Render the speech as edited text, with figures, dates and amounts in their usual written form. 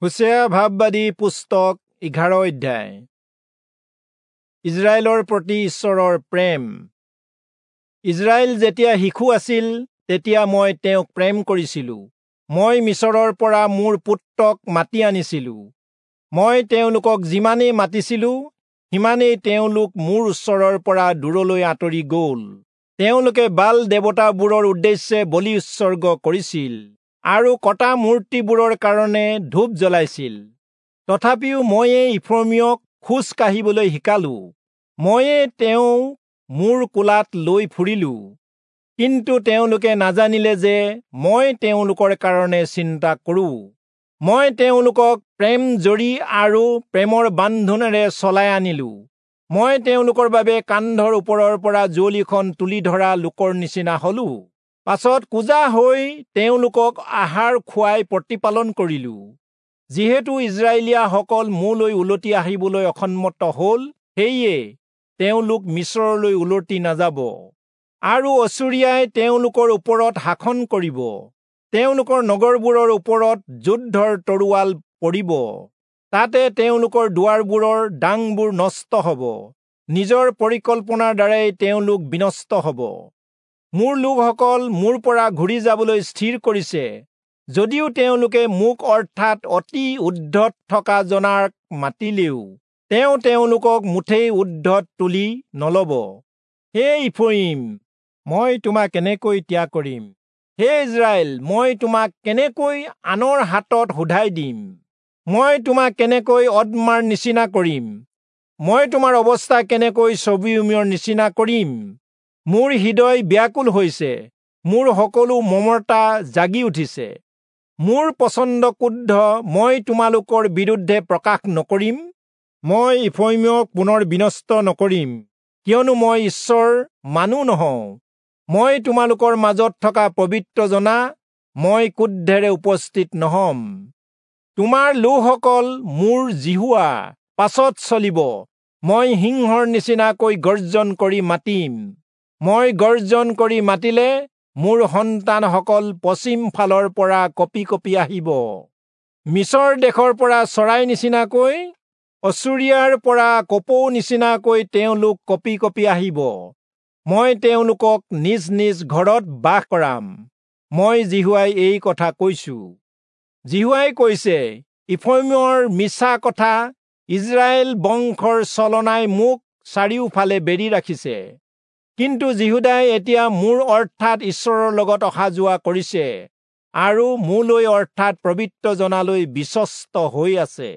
হোচেয়া ভাববাদী পুস্তক 11 অধ্যায়। ইজৰাইলৰ প্ৰতি ঈশ্বৰৰ প্ৰেম। ইজৰাইল যেতিয়া শিশু আছিল তেতিয়া মই তেওঁক প্ৰেম কৰিছিলো। মই মিচৰৰ পৰা মোৰ পুত্ৰক মাতি আনিছিলো। মই তেওঁলোকক যিমানেই মাতিছিলো সিমানেই তেওঁলোক মোৰ ওচৰৰ পৰা দূৰলৈ আঁতৰি গ'ল। তেওঁলোকে বাল দেৱতাবোৰৰ উদ্দেশ্যে বলি উৎসৰ্গ কৰিছিল আৰু কটা মূৰ্তিবোৰৰ কাৰণে ধূপ জ্বলাইছিল। তথাপিও ময়ে ইফ্ৰয়িমক খোজ কাঢ়িবলৈ শিকালো, ময়ে তেওঁ মোৰ কোলাত লৈ ফুৰিলো। কিন্তু তেওঁলোকে নাজানিলে যে মই তেওঁলোকৰ কাৰণে চিন্তা কৰো। মই তেওঁলোকক প্ৰেম জৰি আৰু প্ৰেমৰ বান্ধোনেৰে চলাই আনিলো। মই তেওঁলোকৰ বাবে কান্ধৰ ওপৰৰ পৰা যুঁৱলিখন তুলি ধৰা লোকৰ নিচিনা হলো। পাছত কুঁজা হৈ তেওঁলোকক আহাৰ খুৱাই প্ৰতিপালন কৰিলো। যিহেতু ইজৰাইলীয়াসকল মোলৈ উলটি আহিবলৈ অসন্মত হ'ল, সেয়ে তেওঁলোক মিচৰলৈ উলটি নাযাব আৰু অচুৰীয়াই তেওঁলোকৰ ওপৰত শাসন কৰিব। তেওঁলোকৰ নগৰবোৰৰ ওপৰত যুদ্ধৰ তৰোৱাল পৰিব, তাতে তেওঁলোকৰ দুৱাৰবোৰৰ ডাংবোৰ নষ্ট হ'ব। নিজৰ পৰিকল্পনাৰ দ্বাৰাই তেওঁলোক বিনষ্ট হ'ব। মোৰ লোকসকল মোৰ পৰা ঘূৰি যাবলৈ স্থিৰ কৰিছে, যদিও তেওঁলোকে মোক অৰ্থাৎ অতি ঊৰ্ধ্বত থকা জনাক মাতিলেও তেওঁ তেওঁলোকক মুঠেই ঊৰ্ধ্বত তুলি নলব। হে ইফ্ৰয়িম, মই তোমাক কেনেকৈ ত্যাগ কৰিম? হে ইজৰাইল, মই তোমাক কেনেকৈ আনৰ হাতত শোধাই দিম? মই তোমাক কেনেকৈ অদমাৰ নিচিনা কৰিম? মই তোমাৰ অৱস্থা কেনেকৈ চবিয়ুমৰ নিচিনা কৰিম? মোৰ হৃদয় ব্যাকুল হৈছে, মোৰ সকলো মমতা জাগি উঠিছে। মোৰ প্ৰচণ্ড ক্ৰোধ মই তোমালোকৰ বিৰুদ্ধে প্ৰকাশ নকৰিম। মই ইফ্ৰয়িমক পুনৰ বিনষ্ট নকৰিম, কিয়নো মই ঈশ্বৰ, মানুহ নহওঁ। মই তোমালোকৰ মাজত থকা পবিত্ৰ জনা, মই ক্ৰোধেৰে উপস্থিত নহম। তোমাৰ লোকসকল মোৰ যিহোৱা পাছত চলিব। মই সিংহৰ নিচিনাকৈ গৰ্জন কৰি মাতিম। মই গৰ্জন কৰি মাতিলে মোৰ সন্তানসকল পশ্চিম ফালৰ পৰা কঁপি কঁপি আহিব। মিচৰ দেশৰ পৰা চৰাই নিচিনাকৈ, অচুৰীয়াৰ পৰা কপৌ নিচিনাকৈ তেওঁলোক কঁপি কঁপি আহিব। মই তেওঁলোকক নিজ নিজ ঘৰত বাস কৰাম। মই যিহোৱাই এই কথা কৈছো। যিহোৱাই কৈছে, ইফ্ৰয়িমৰ মিছা কথা, ইজৰাইল বংশৰ ছলনাই মোক চাৰিওফালে বেৰি ৰাখিছে। কিন্তু যিহূদাই এতিয়া মোৰ অৰ্থাৎ ঈশ্বৰৰ লগত অহা যোৱা কৰিছে আৰু মোলৈ অৰ্থাৎ পবিত্ৰ জনালৈ বিশ্বস্ত হৈ আছে।